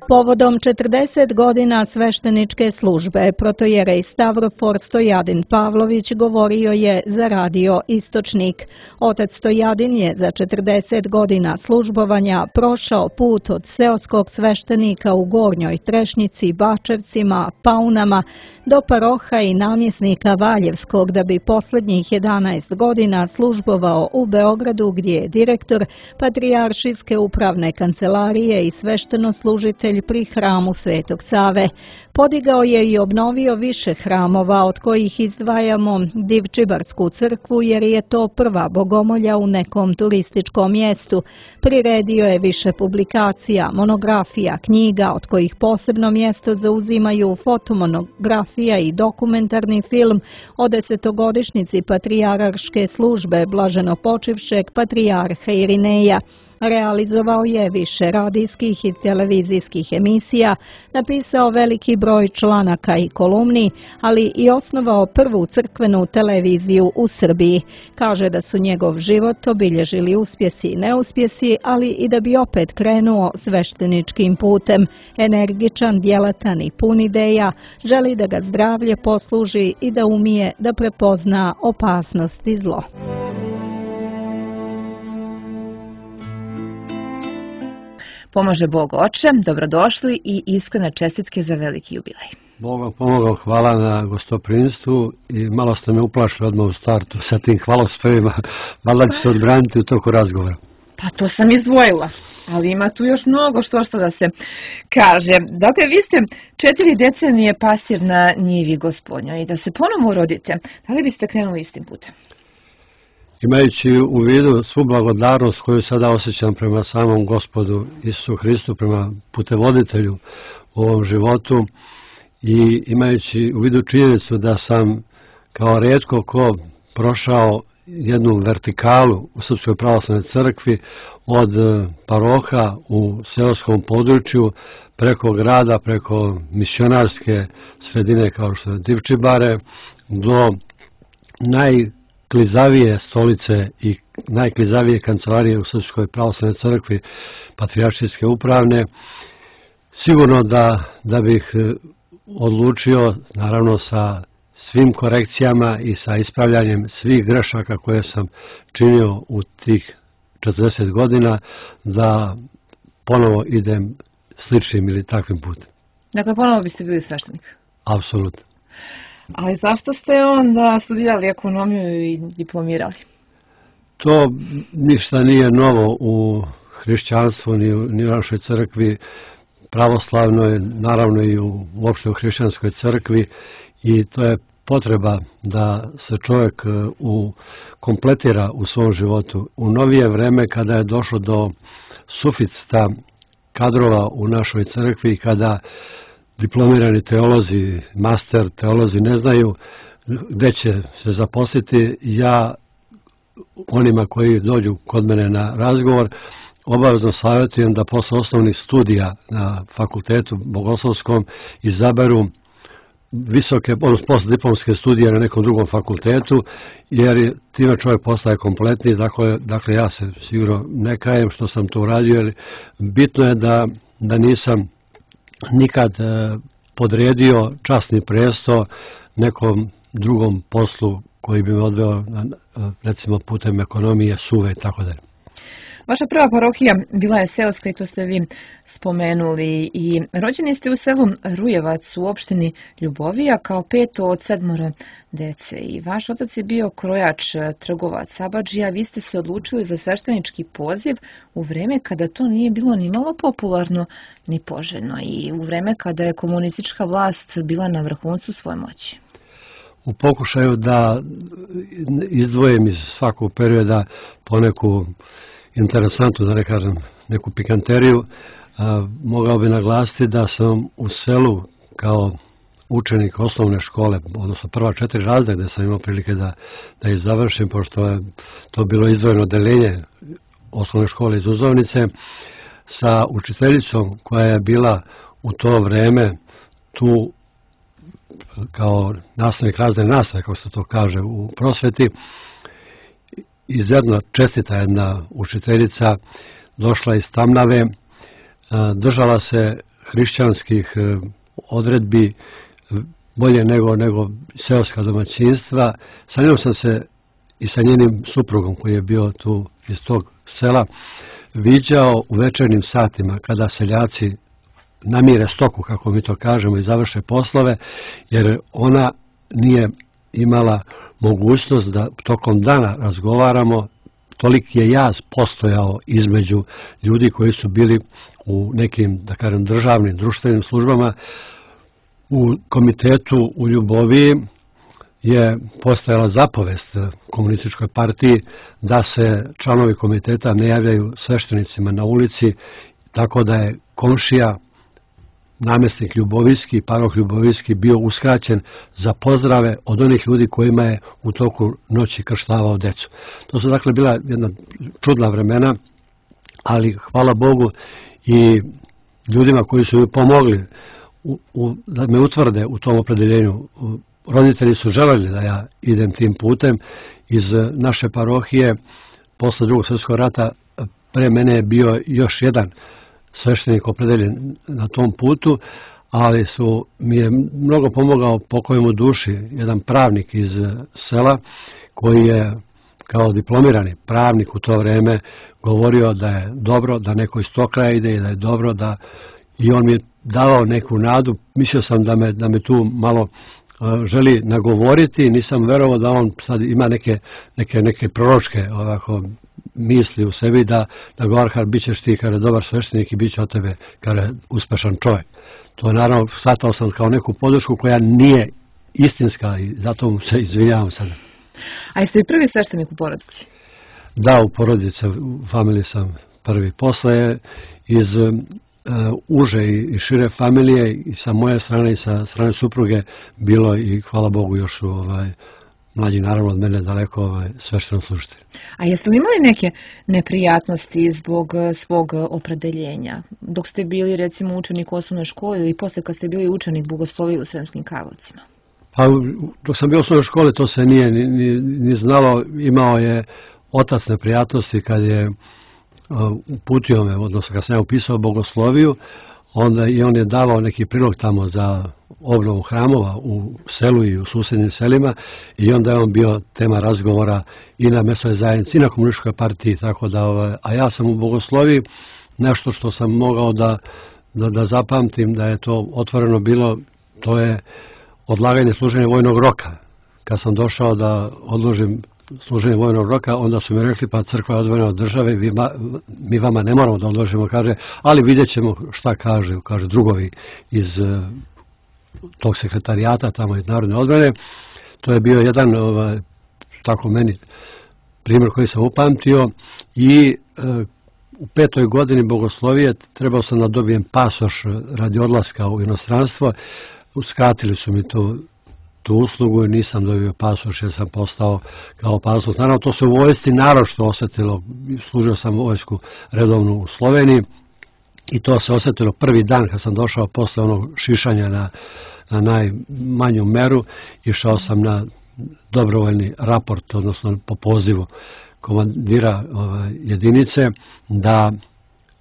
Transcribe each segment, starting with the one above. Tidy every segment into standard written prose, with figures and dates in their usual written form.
Povodom 40 godina svešteničke službe protojerej Stavrofor Stojadin Pavlović govorio je za radio Istočnik. Otac Stojadin je za 40 godina službovanja prošao put od seoskog sveštenika u Gornjoj Trešnjici, Bačevcima, Paunama, do paroha i namjesnika Valjevskog, da bi posljednjih 11 godina službovao u Beogradu, gdje je direktor Patrijaršijske upravne kancelarije i svešteno-služitelj pri hramu Svetog Save. Podigao je i obnovio više hramova, od kojih izdvajamo Divčibarsku crkvu, jer je to prva bogomolja u nekom turističkom mjestu. Priredio je više publikacija, monografija, knjiga, od kojih posebno mjesto zauzimaju fotomonografija i dokumentarni film o 10-godišnjici patrijarške službe blaženopočivšeg patrijarha Irineja. Realizovao je više radijskih i televizijskih emisija, napisao veliki broj članaka i kolumni, ali i osnovao prvu crkvenu televiziju u Srbiji. Kaže da su njegov život obilježili uspjesi i neuspjesi, ali i da bi opet krenuo svešteničkim putem. Energičan, djelatan i pun ideja, želi da ga zdravlje posluži i da umije da prepozna opasnost i zlo. Pomaže Bog Oče, dobrodošli i iskrene čestitke za veliki jubilej. Bog vam pomogao, hvala na gostoprinstvu i malo ste me uplašili odmah u startu sa tim hvalospevima, valjda će se odbraniti u toku razgovora. Pa to sam izdvojila, ali ima tu još mnogo što da se kaže. Dakle, vi ste 4 decenije pastir na njivi Gospodnjoj i da se ponovo rodite, da li biste krenuli istim putem? Imajući u vidu svu blagodarnost koju sada osjećam prema samom Gospodu Isusu Hristu, prema putevoditelju u ovom životu i imajući u vidu činjenicu da sam kao rijetko ko prošao jednu vertikalu u Srpskoj pravoslavnoj crkvi od paroha u seoskom području preko grada, preko misionarske sredine kao što je Divčibare do najklizavije stolice i najklizavije kancelarije u Srpskoj pravoslavnoj crkvi Patrijaršijske upravne, sigurno da bih odlučio, naravno sa svim korekcijama i sa ispravljanjem svih grešaka koje sam činio u tih 40 godina, da ponovo idem sličnim ili takvim putem. Dakle, ponovo biste bili sveštenik? Apsolutno. Ali zašto ste onda studirali ekonomiju i diplomirali? To ništa nije novo u hrišćanstvu, ni u našoj crkvi pravoslavnoj, naravno i uopšte u hrišćanskoj crkvi, i to je potreba da se čovjek kompletira u svom životu. U novije vreme, kada je došlo do suficita kadrova u našoj crkvi, kada diplomirani teolozi, master teolozi ne znaju gdje će se zaposliti, ja onima koji dođu kod mene na razgovor obavezno savjetujem da posle osnovnih studija na fakultetu bogoslovskom izaberu postdiplomske studije na nekom drugom fakultetu, jer time čovjek postaje kompletni. Dakle, ja se sigurno ne kajem što sam to uradio, jer bitno je da nisam nikad podredio časni presto nekom drugom poslu koji bi me odveo, recimo, putem ekonomije, suve i tako dalje. Vaša prva parohija bila je seoska i to ste vi spomenuli, i rođeni ste u selu Rujevac u opštini Ljubovija kao 5. od 7 dece, i vaš otac je bio krojač, trgovac, abadžija. Vi ste se odlučili za sveštenički poziv u vreme kada to nije bilo ni malo popularno ni poželjno i u vreme kada je komunistička vlast bila na vrhuncu svoje moći. U pokušaju da izdvojim iz svakog perioda poneku interesantnu, da ne kažem neku pikanteriju, mogao bi naglasiti da sam u selu kao učenik osnovne škole, odnosno prva 4 razreda gdje sam imao prilike da ih završim, pošto je to bilo izdvojeno odeljenje osnovne škole iz Uzovnice, sa učiteljicom koja je bila u to vreme tu kao nastavnik razredne nastave, kako se to kaže u prosveti. izuzetno čestita jedna učiteljica, došla iz Tamnave, držala se hrišćanskih odredbi bolje nego seoska domaćinstva. Sa njom sam se i sa njenim suprugom koji je bio tu iz tog sela viđao u večernjim satima kada seljaci namire stoku, kako mi to kažemo, i završe poslove, jer ona nije imala mogućnost da tokom dana razgovaramo. Toliki je jaz postojao između ljudi koji su bili u nekim, da kažem, državnim, društvenim službama. U komitetu u Ljuboviji je postojala zapovest komunističkoj partiji da se članovi komiteta ne javljaju sveštenicima na ulici, tako da je komšija, namjesnik Ljubovijski, paroh Ljubovijski, bio uskraćen za pozdrave od onih ljudi kojima je u toku noći krštavao decu. To su dakle bila jedna čudna vremena, ali hvala Bogu i ljudima koji su mi pomogli da me utvrde u tom opredeljenju. Roditelji su želeli da ja idem tim putem. Iz naše parohije posle Drugog svjetskog rata pre mene je bio još jedan sveštenik opredeljen na tom putu, ali mi je mnogo pomogao pokojemu duši jedan pravnik iz sela koji je kao diplomirani pravnik u to vreme govorio da je dobro da neko iz tog kraja ide i da je dobro da, i on mi je davao neku nadu. Mislio sam da me tu malo želi nagovoriti, nisam verovao da on sad ima neke proročke ovako misli u sebi da govara, bit ćeš ti kada dobar sveštenik i bit će od tebe kada uspešan čovjek. To naravno shvatao sam kao neku podršku koja nije istinska i zato mu se izvinjavam sad. A jeste li prvi sveštenik u porodici? Da, u porodici, u familiji sam prvi. Posle iz uže i šire familije i sa moje strane i sa strane supruge bilo i hvala Bogu još mlađi naravno od mene daleko svešteno služitelj. A jeste li imali neke neprijatnosti zbog svog opredeljenja? Dok ste bili recimo učenik u osnovnoj školi ili posle kad ste bili učenik bogoslovije u Sremskim Karlovcima? Pa dok sam bio u osnovnoj školi to se nije ni znalo. Imao je otac neprijatnosti kad je uputio me, odnosno kad sam ja upisao bogosloviju, onda i on je davao neki prilog tamo za obnovu hramova u selu i u susjednim selima i onda je on bio tema razgovora i na mesnoj zajednici i na komunističkoj partiji, tako da, a ja sam u bogosloviji nešto što sam mogao da zapamtim da je to otvoreno bilo, to je odlaganje služenja vojnog roka. Kad sam došao da odložim služenje vojnog roka, onda su mi rekli, pa crkva je odvojena od države, mi vama ne moramo da odložimo, kaže, ali vidjet ćemo šta kaže drugovi iz tog sekretarijata, tamo iz Narodne odbrane. To je bio jedan, tako meni, primjer koji sam upamtio i u 5. godini bogoslovije trebao sam da dobijem pasoš radi odlaska u inostranstvo. Uskratili su mi tu uslugu i nisam dobio pasoš jer sam postao kao pasoš. Naravno, to se u vojsci naročito osjetilo. Služio sam vojsku redovnu u Sloveniji i to se osjetilo prvi dan kad sam došao posle onog šišanja na najmanju meru. Išao sam na dobrovoljni raport, odnosno po pozivu komandira jedinice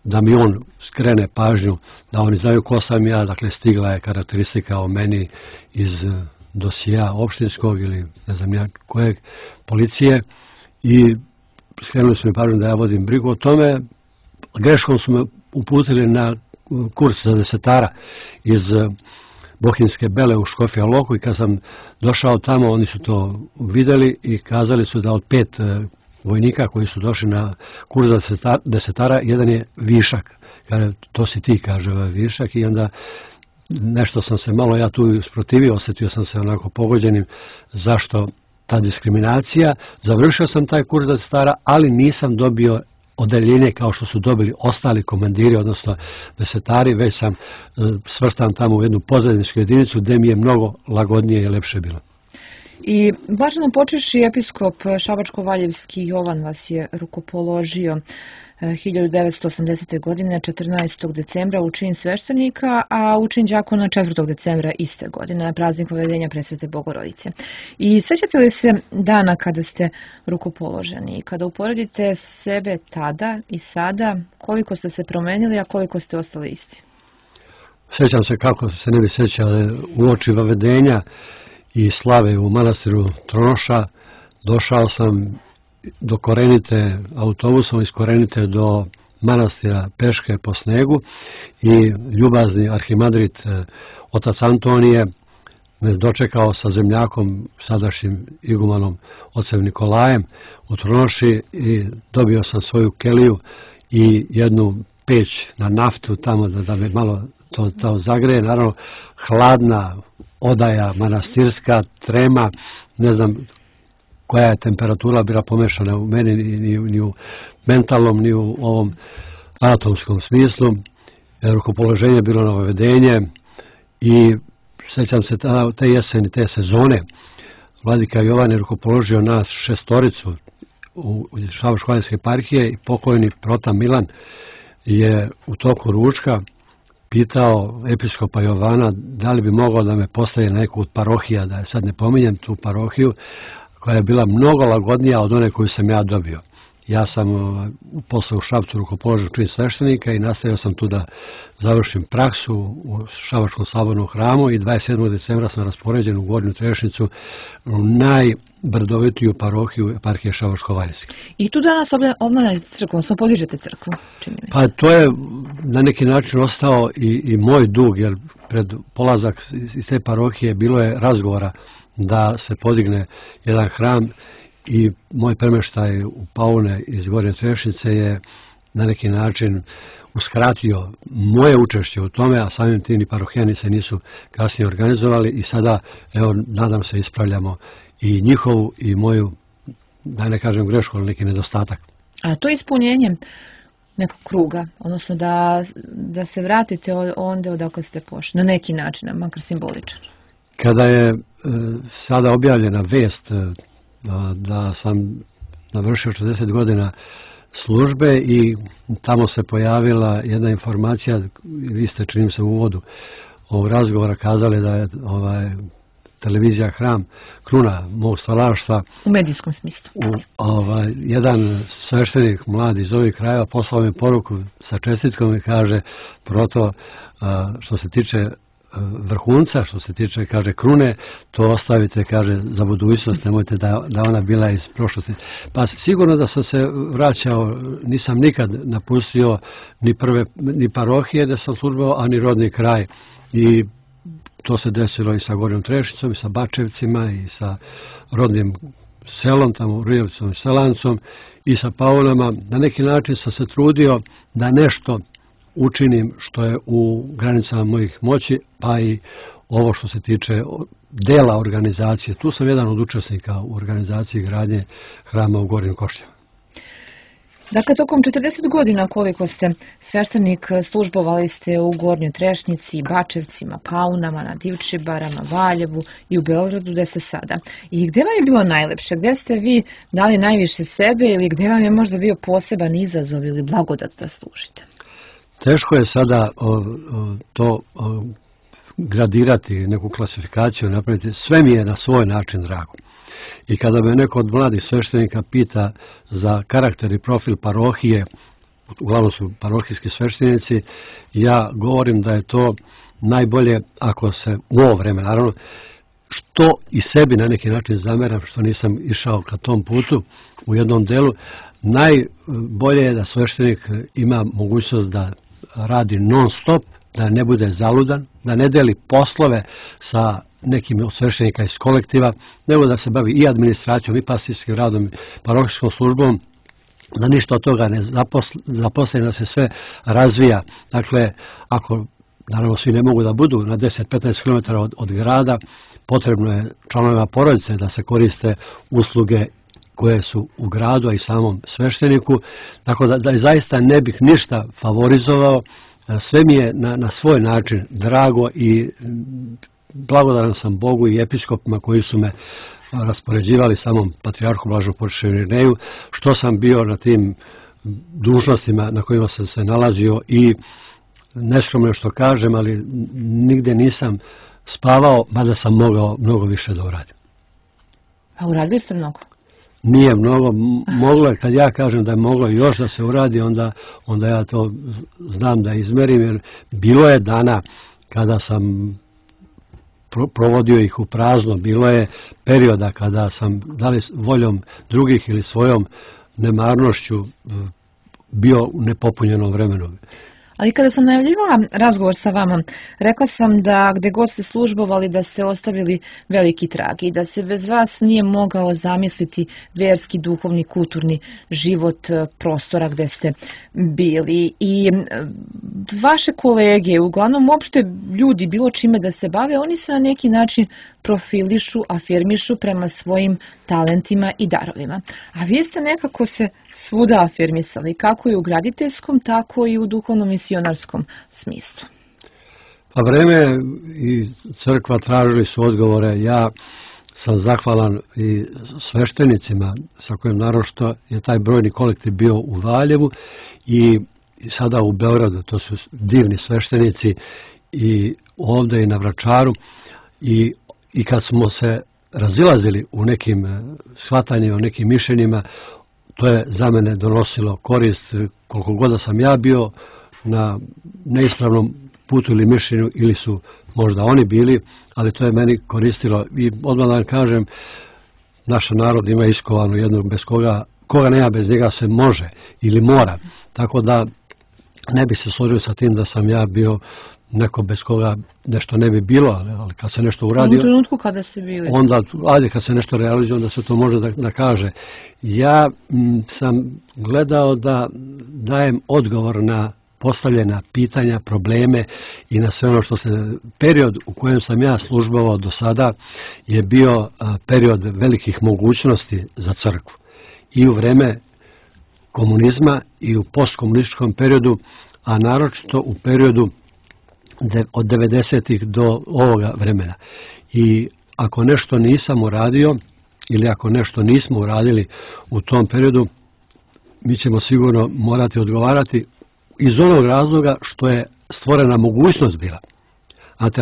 da mi on skrene pažnju, da oni znaju ko sam ja. Dakle, stigla je karakteristika o meni iz dosija opštinskog ili ne znam ja kojeg policije i skrenuli su mi pažnju da ja vodim brigu o tome. Greškom su me uputili na kurs za desetara iz Bohinjske Bele u Škofja Loku i kad sam došao tamo oni su to vidjeli i kazali su da od 5 vojnika koji su došli na kurs za desetara, jedan je višak. Kaže, to si ti, kaže, višak, i onda nešto sam se malo ja tu usprotivio, osjetio sam se onako pogođenim zašto ta diskriminacija. Završio sam taj kurs za desetara, ali nisam dobio odeljenje kao što su dobili ostali komandiri, odnosno desetari, već sam svrstan tamo u jednu pozadničku jedinicu gdje mi je mnogo lagodnije i lepše bilo. I blaženo počevši episkop Šabačko-Valjevski Jovan vas je rukopoložio. 1980. godine 14. decembra u čin sveštenika, a u čin đakona 4. decembra iste godine na praznik Povedenja Presvete Bogorodice. I sećate li se dana kada ste rukopoloženi? Kada uporedite sebe tada i sada, koliko ste se promenili, a koliko ste ostali isti? Sjećam se kako se ne bi sjećali u oči Vavedenja i slave u manastiru Tronoša. Došao sam do Korenite autobusom, iz Korenite do manastira peške po snegu i ljubazni arhimadrit otac Antonije me dočekao sa zemljakom, sadašnjim igumanom ocem Nikolajem u Tronoši i dobio sam svoju keliju i jednu peć na naftu tamo da me malo to zagreje. Naravno, hladna odaja manastirska, trema, ne znam koja je temperatura bila pomešana u meni, ni u mentalnom, ni u ovom anatomskom smislu. Rukopoloženje je bilo na Vavedenje i sjećam se te jeseni, te sezone. Vladika Jovan je rukopoložio nas 6 u Šabačko-Hvaljinske eparhije i pokojni prota Milan je u toku ručka pitao episkopa Jovana da li bi mogao da me postavi na neku od parohija, da je sad ne pominjem tu parohiju, koja je bila mnogo lagodnija od one koju sam ja dobio. Ja sam posle u Šapcu rukopoložio čin sveštenika i nastavio sam tu da završim praksu u Šabačkom slobodnom hramu i 27. decembra sam raspoređen u Gornju Trešnicu, u najbrdovitiju parohiju eparhije Šabačko-Hvaljinske. I tu danas obnavljate crkvu, odnosno podižete crkvu, čini mi se. Pa to je na neki način ostao i moj dug, jer pred polazak iz te parohije bilo je razgovora da se podigne jedan hram i moj premeštaj u Paune iz Gornje Trešnice je na neki način uskratio moje učešće u tome, a samim tim i parohijani se nisu kasnije organizovali i sada, evo, nadam se ispravljamo i njihovu i moju, da ne kažem grešku, ali neki nedostatak. A to je ispunjenje nekog kruga, odnosno da se vratite onda odakle ste pošli, na neki način, makar simboličan. Kada je sada objavljena vest da sam navršio 40 godina službe i tamo se pojavila jedna informacija, vi ste čini se u uvodu ovog razgovora kazali da je televizija Hram kruna mog stvaralaštva. U medijskom smislu. Jedan sveštenik mladi iz ovih krajeva poslao mi poruku sa čestitkom i kaže proto što se tiče vrhunca, što se tiče, kaže, krune, to ostavite, kaže, za budućnost, nemojte da ona bila iz prošlosti. Pa sigurno da sam se vraćao, nisam nikad napustio ni parohije da sam službao, a ni rodni kraj. I to se desilo i sa Gornjom Trešnicom, i sa Bačevcima, i sa rodnim selom, tamo Rujevcom i Selancom, i sa Paunama. Na neki način sam se trudio da nešto učinim što je u granicama mojih moći, pa i ovo što se tiče dela organizacije. Tu sam jedan od učesnika u organizaciji gradnje hrama u Gornjim Košljama. Dakle, tokom 40 godina koliko ste sveštenik, službovali ste u Gornjoj Trešnici, Bačevcima, Paunama, na Divčibarama, Valjevu i u Beogradu, gde ste sada. I gde vam je bilo najlepše? Gde ste vi dali najviše sebe ili gde vam je možda bio poseban izazov ili blagodat da služite? Teško je sada to gradirati, neku klasifikaciju napraviti. Sve mi je na svoj način drago. I kada me neko od mladih sveštenika pita za karakter i profil parohije, uglavnom su parohijski sveštenici, ja govorim da je to najbolje ako se u ovo vreme, naravno, što i sebi na neki način zameram, što nisam išao ka tom putu u jednom delu, najbolje je da sveštenik ima mogućnost da radi non stop, da ne bude zaludan, da ne deli poslove sa nekim od sveštenika iz kolektiva, nego da se bavi i administracijom, i pastirskim radom, parohijskom službom, da ništa od toga ne zaposle, da se sve razvija. Dakle, ako, naravno, svi ne mogu da budu na 10-15 km od grada, potrebno je članovima porodice da se koriste usluge koje su u gradu, a i samom svešteniku. Tako da zaista ne bih ništa favorizovao. Sve mi je na svoj način drago i blagodaran sam Bogu i episkopima koji su me raspoređivali samom patrijarhu Blaženom Porfiru Irineju, što sam bio na tim dužnostima na kojima sam se nalazio i neskromno što kažem, ali nigde nisam spavao, mada sam mogao mnogo više da uradim. A uradili ste mnogo? Nije mnogo, moglo je, kad ja kažem da je moglo još da se uradi, onda ja to znam da izmerim, jer bilo je dana kada sam provodio ih u prazno, bilo je perioda kada sam, da li voljom drugih ili svojom nemarnošću, bio u nepopunjenom vremenu. Ali kada sam najavljivala razgovor sa vama, rekla sam da gde god ste službovali da ste ostavili veliki trag i da se bez vas nije mogao zamisliti vjerski, duhovni, kulturni život prostora gde ste bili. I vaše kolege, uglavnom uopšte ljudi, bilo čime da se bave, oni se na neki način profilišu, afirmišu prema svojim talentima i darovima. A vi ste nekako se svuda afirmisali, kako i u graditeljskom, tako i u duhovno-misionarskom smislu. Pa vreme i crkva tražili su odgovore. Ja sam zahvalan i sveštenicima sa kojim naročito je taj brojni kolektiv bio u Valjevu i sada u Beogradu. To su divni sveštenici i ovdje i na Vračaru. I kad smo se razilazili u nekim shvatanjima, u nekim mišljenjima, to je za mene donosilo korist, koliko god da sam ja bio na neispravnom putu ili mišljenju, ili su možda oni bili, ali to je meni koristilo. I odmah da vam kažem, naš narod ima iskovanu jednu, bez koga nema, bez njega se može ili mora. Tako da ne bi se složio sa tim da sam ja bio neko bez koga nešto ne bi bilo, ali kad se nešto uradi... U trenutku kada ste bili? Onda, ajde, kad se nešto realizuje, onda se to može da kaže. Ja sam gledao da dajem odgovor na postavljena pitanja, probleme i na sve ono što se... Period u kojem sam ja službovao do sada je bio period velikih mogućnosti za crkvu. I u vreme komunizma i u postkomunističkom periodu, a naročito u periodu od 90-ih do ovoga vremena. I ako nešto nisam uradio ili ako nešto nismo uradili u tom periodu, mi ćemo sigurno morati odgovarati iz onog razloga što je stvorena mogućnost bila. Znate,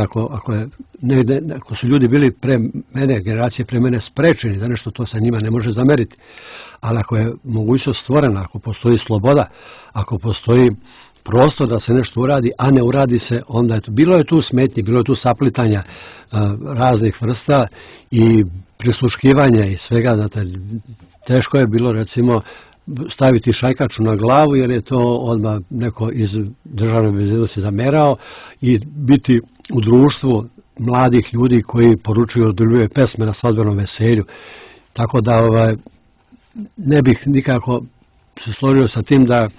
ako su ljudi bili pre mene, generacije pre mene sprečeni za nešto, to se njima ne može zameriti. Ali ako je mogućnost stvorena, ako postoji sloboda, ako postoji prostor da se nešto uradi, a ne uradi se, onda je to. Bilo je tu smetnji, bilo je tu saplitanja raznih vrsta i prisluškivanja i svega. Znate, teško je bilo, recimo, staviti šajkaču na glavu, jer je to odmah neko iz državne bezbednosti zamerao, i biti u društvu mladih ljudi koji poručuju odljubljuje pesme na svadbenom veselju. Tako da ne bih nikako se složio sa tim da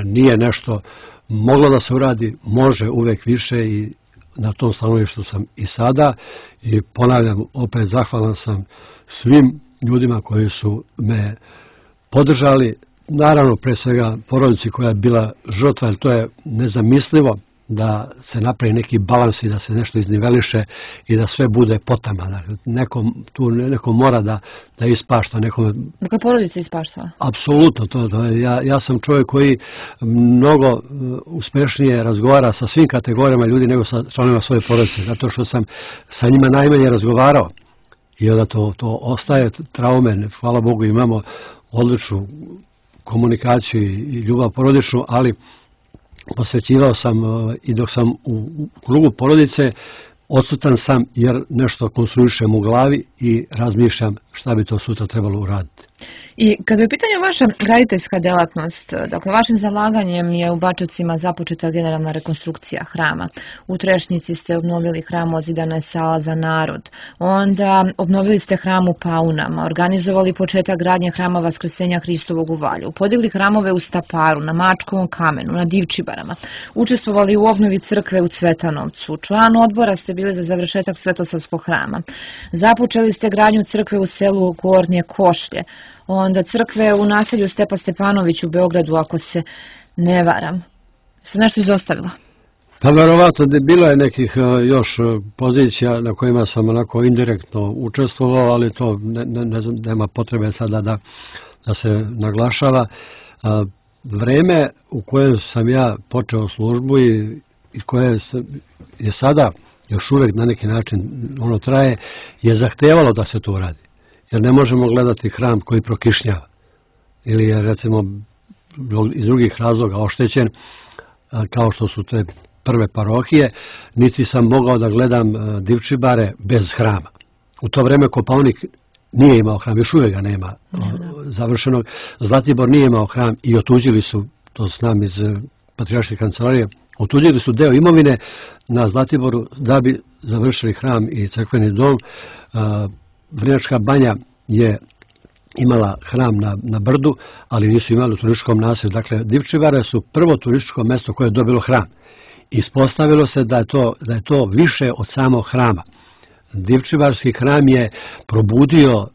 nije nešto moglo da se uradi, može uvek više, i na tom stanovištu sam i sada. I ponavljam, opet zahvalan sam svim ljudima koji su me podržali, naravno pre svega porodici koja je bila žrtva, jer to je nezamislivo da se napravi neki balans i da se nešto izniveliše i da sve bude potama. Neko mora da ispašta. Dakle, porodica ispaštava? Apsolutno. Ja sam čovjek koji mnogo uspešnije razgovara sa svim kategorijama ljudi nego sa članovima svoje porodice, zato što sam sa njima najmanje razgovarao. I onda to ostaje traume. Hvala Bogu, imamo odličnu komunikaciju i ljubav porodičnu, ali posvećivao sam i dok sam u krugu porodice, odsutan sam jer nešto konstruišem u glavi i razmišljam šta bi to sutra trebalo uraditi. I kada je u pitanju vaša graditeljska delatnost, dakle vašim zalaganjem je u Bačevcima započeta generalna rekonstrukcija hrama. U Trešnjici ste obnovili hram, ozidana je sala za narod. Onda obnovili ste hram u Paunama, organizovali početak gradnje hrama Vaskrsenja Hristovog u Valju, podigli hramove u Staparu, na Mačkovom kamenu, na Divčibarama, učestvovali u obnovi crkve u Cvetanovcu, član odbora ste bili za završetak Svetosavskog hrama. Započeli ste gradnju crkve u selu Gornje Košlje, onda crkve u naselju Stepa Stepanović u Beogradu, ako se ne varam. Se nešto izostavila? Pa verovatno, bilo je nekih još pozicija na kojima sam onako indirektno učestvovao, ali to nema potrebe sada da se naglašava. vreme u kojem sam ja počeo službu i koje je sada još uvijek na neki način ono traje, je zahtevalo da se to uradi. Jer ne možemo gledati hram koji prokišnjava ili je recimo iz drugih razloga oštećen, kao što su te prve parohije, niti sam mogao da gledam Divčibare bez hrama. U to vreme Kopaonik nije imao hram, još uvijek ga nema završenog. Zlatibor nije imao hram i otuđili su, to znam iz Patrijarške kancelarije, otuđili su deo imovine na Zlatiboru da bi završili hram i crkveni dom. Vrnjačka banja je imala hram na brdu, ali nisu imali u turističkom naselju. Dakle, Divčibare su prvo turističko mjesto koje je dobilo hram. Ispostavilo se da je to više od samog hrama. Divčibarski hram je probudio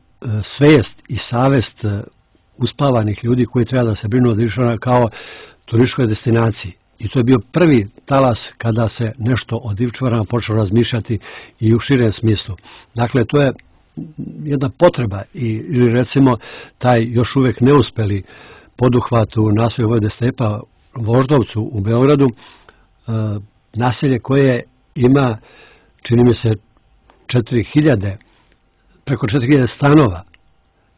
svijest i savest uspavanih ljudi koji treba da se brinu o Divčibarima kao turističkoj destinaciji. I to je bio prvi talas kada se nešto o Divčibarima počelo razmišljati i u širem smislu. Dakle, to je jedna potreba ili recimo taj još uvijek neuspeli poduhvat u naselju Vojvode Stepa Voždovcu u Beogradu, naselje koje ima, čini mi se, preko 4000 stanova,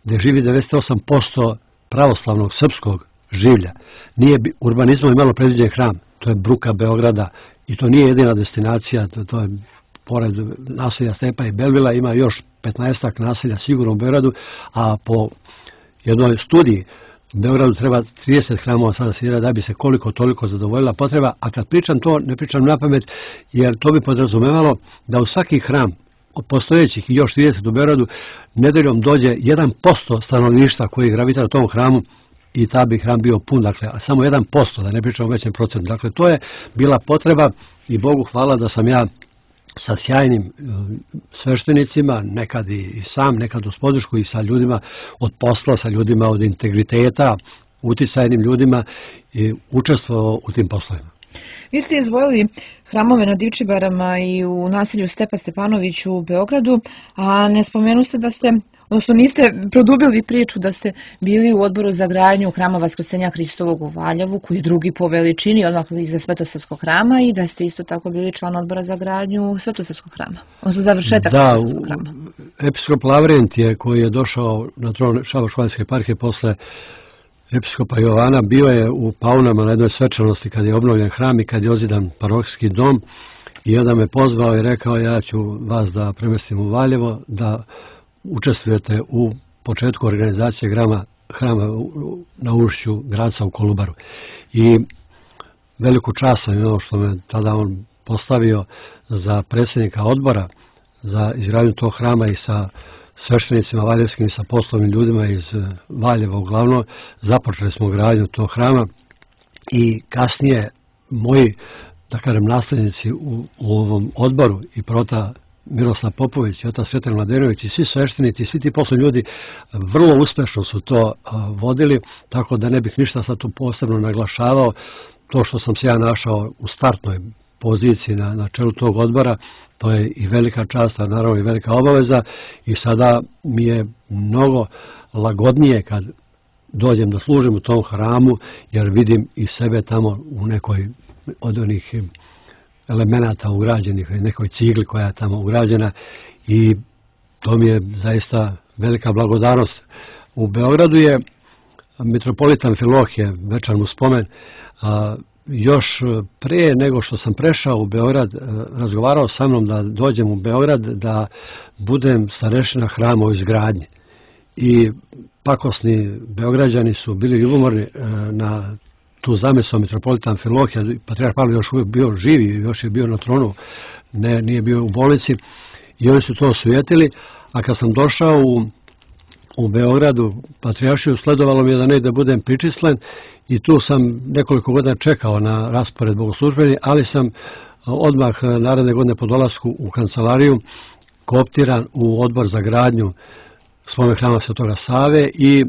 gdje živi 98% pravoslavnog srpskog življa. Nije urbanizmom imalo predviđen hram, to je bruka Beograda i to nije jedina destinacija, to je pored naselja Stepa i Belvila ima još 15 naselja sigurno u Beogradu, a po jednoj studiji u Beogradu treba 30 hramova sada sanirati da bi se koliko toliko zadovoljila potreba, a kad pričam to, ne pričam na pamet, jer to bi podrazumevalo da u svaki hram od postojećih i još 30 u Beogradu nedeljom dođe 1% stanovništva koji gravitira u tom hramu i ta bi hram bio pun, dakle, a samo 1%, da ne pričam o većem procentu. Dakle, to je bila potreba i Bogu hvala da sam ja sa sjajnim sveštenicima, nekad i sam, nekad uz podršku i sa ljudima od posla, sa ljudima od integriteta, uticajnim ljudima i učestvovao u tim poslovima. Vi ste izdvojili hramove na Divčibarama i u naselju Stepa Stepanović u Beogradu, a ne spomenuste da ste, odnosno niste produbili priču da ste bili u odboru za gradnju hrama Vaskrsenja Hristovog u Valjevu, koji je drugi po veličini, odmah iza Svetosavskog hrama, i da ste isto tako bili član odbora za gradnju Svetosavskog hrama, odnosno završetak Svetosavskog hrama. Da, episkop Lavrent je, koji je došao na tron Šabačko-Vanjske eparhije posle episkopa Jovana, bio je u Paunama na jednoj svečanosti kad je obnovljen hram i kad je ozidan parohijski dom i onda me pozvao i rekao ja ću vas da premestim u Valjevo, da učestvujete u početku organizacije hrama na ušću Graca u Kolubaru. I veliku čast sam imao što me tada on postavio za predsjednika odbora za izgradnju tog hrama i sa sveštenicima valjevskim i sa poslovnim ljudima iz Valjeva uglavnom. Započeli smo gradnju tog hrama i kasnije moji, da kažem, nasljednici u ovom odboru i prota Miroslav Popović i otac Svetan Mladenović i svi sveštenici, svi ti poslovni ljudi vrlo uspešno su to vodili, tako da ne bih ništa sad tu posebno naglašavao. To što sam se ja našao u startnoj poziciji na čelu tog odbora, to je i velika čast, a naravno i velika obaveza i sada mi je mnogo lagodnije kad dođem da služim u tom hramu, jer vidim i sebe tamo u nekoj od onih elemenata ugrađenih, nekoj cigli koja je tamo ugrađena i to mi je zaista velika blagodarnost. U Beogradu je mitropolitan Filohije, večan mu spomen, još prije nego što sam prešao u Beograd, razgovarao sa mnom da dođem u Beograd da budem starešina hrama u izgradnji. I pakosni Beograđani su bili ljubomorni na tu zamisao mitropolitan Filohija. Patrijarh Pavle još uvijek bio živi, još je bio na tronu, nije bio u bolnici i oni su to osujetili. A kad sam došao u Beogradu, patrijaršiju, sledovalo mi je da negde budem pričislen i tu sam nekoliko godina čekao na raspored bogoslužbeni, ali sam odmah naredne godine po dolasku u kancelariju kooptiran u odbor za gradnju spomen hrama Svetoga Save i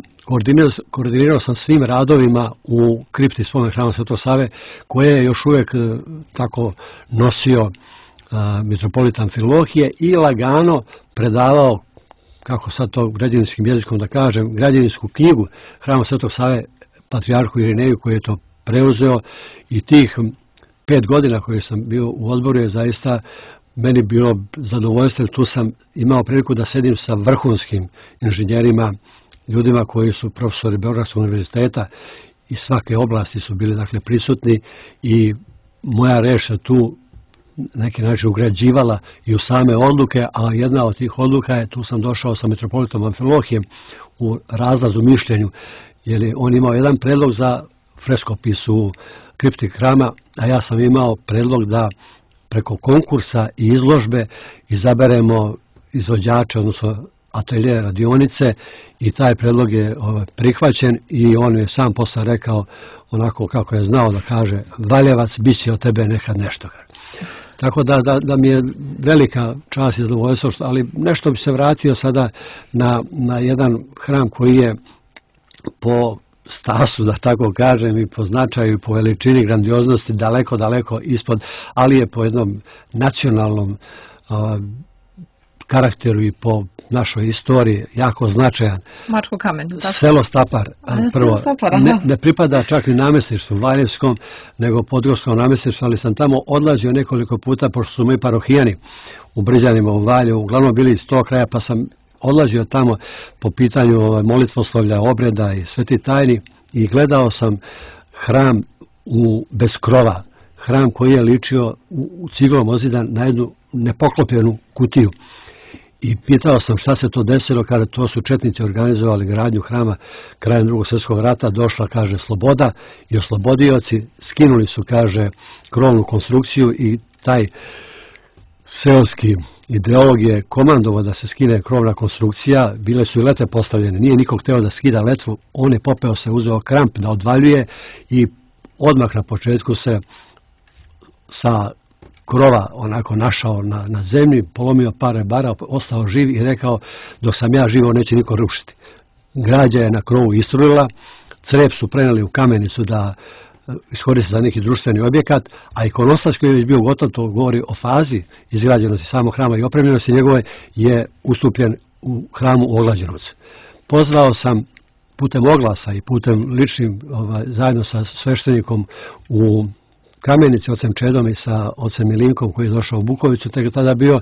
koordinirao sam svim radovima u kripti spomen hrama Svetog Save, koje je još uvijek tako nosio mitropolitan Filohije i lagano predavao, kako sad to građevinskim jezikom da kažem, građevinsku knjigu hrama Svetog Save patrijarhu Irineju koji je to preuzeo i tih 5 godina koji sam bio u odboru je zaista meni bilo zadovoljstvo. Tu sam imao priliku da sedim sa vrhunskim inženjerima, ljudima koji su profesori Beogradskog univerziteta i svake oblasti su bili dakle prisutni i moja reč se tu neki način ugrađivala i u same odluke, a jedna od tih odluka je, tu sam došao sa metropolitom Amfilohijem u razlazu mišljenju, jer je on imao jedan predlog za freskopis u kripti hrama, a ja sam imao predlog da preko konkursa i izložbe izaberemo izvođače, odnosno atelje radionice, i taj predlog je prihvaćen i on je sam posle rekao onako kako je znao da kaže: Valjevac, bit će od tebe nekad nešto. Tako da mi je velika čast i zadovoljstvo, ali nešto bi se vratio sada na jedan hram koji je po stasu, da tako kažem, i po značaju i po veličini grandioznosti daleko ispod, ali je po jednom nacionalnom karakteru i po našoj istoriji jako značajan. Mačko kamen. Selo Stapar, prvo, ne pripada čak ni namestništvu Valjevskom, nego podgorskom namestništvu, ali sam tamo odlazio nekoliko puta, pošto su moji parohijani u Brđanima, u Valjevu, uglavnom bili iz tog kraja, pa sam odlazio tamo po pitanju molitvoslovlja, obreda i sveti tajni i gledao sam hram bez krova, hram koji je ličio u ciglom ozidan na jednu nepoklopljenu kutiju. I pitao sam šta se to desilo kada to su četnici organizovali gradnju hrama krajem Drugog svjetskog rata. Došla, kaže, sloboda i oslobodioci skinuli su, kaže, krovnu konstrukciju i taj seoski ideolog je komandovao da se skine krovna konstrukcija. Bile su i lete postavljene. Nije nikog hteo da skida letvu. On je popeo se, uzeo kramp da odvaljuje i odmah na početku se sa krova onako našao na zemlji, polomio par rebara, ostao živ i rekao: dok sam ja živo neće niko rušiti. Građa je na krovu istrulila, crep su preneli u Kamenicu da iskoriste za neki društveni objekat, a ikonostas koji je već bio gotov, to govori o fazi izgrađenosti samog hrama i opremljenosti njegove, je ustupljen u hramu u Oglađenovcu. Pozvao sam putem oglasa i putem ličnim, zajedno sa sveštenikom u Kamenici, ocem Čedom i sa ocem Milinkom koji je došao u Bukovicu, tek tada bio